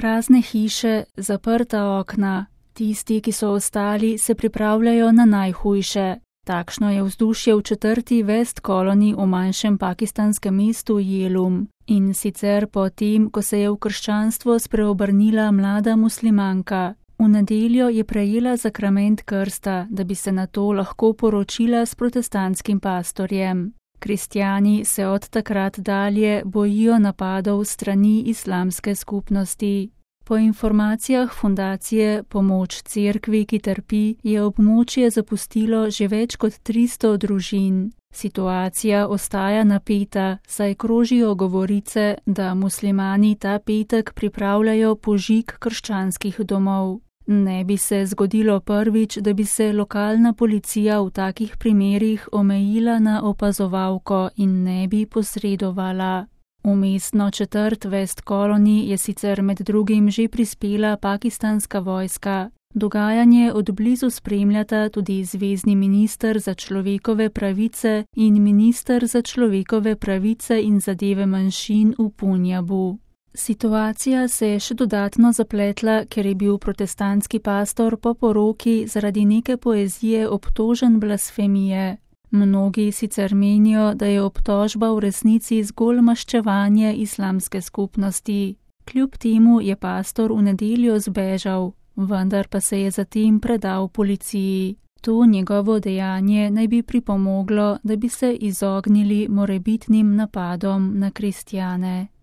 Prazne hiše, zaprta okna. Tisti, ki so ostali, se pripravljajo na najhujše. Takšno je vzdušje v 4. West Colony v manjšem pakistanskem mestu Jelum. In sicer po tem, ko se je v krščanstvo spreobrnila mlada muslimanka. V nedeljo je prejela zakrament krsta, da bi se nato lahko poročila s protestantskim pastorjem. Kristjani se od takrat dalje bojijo napadov strani islamske skupnosti. Po informacijah fundacije Pomoč cerkvi, ki trpi, je območje zapustilo že več kot 300 družin. Situacija ostaja napeta, saj krožijo govorice, da muslimani ta petek pripravljajo požig krščanskih domov. Ne bi se zgodilo prvič, da bi se lokalna policija v takih primerih omejila na opazovalko in ne bi posredovala. V mestno četrt West Colony je sicer med drugim že prispela pakistanska vojska. Dogajanje od blizu spremljata tudi zvezni minister za človekove pravice in minister za človekove pravice in zadeve manjšin v Punjabu. Situacija se je še dodatno zapletla, ker je bil protestantski pastor po poroki zaradi neke poezije obtožen blasfemije. Mnogi sicer menijo, da je obtožba v resnici zgolj maščevanje islamske skupnosti. Kljub temu je pastor v nedeljo zbežal, vendar pa se je zatem predal policiji. To njegovo dejanje naj bi pripomoglo, da bi se izognili morebitnim napadom na kristjane.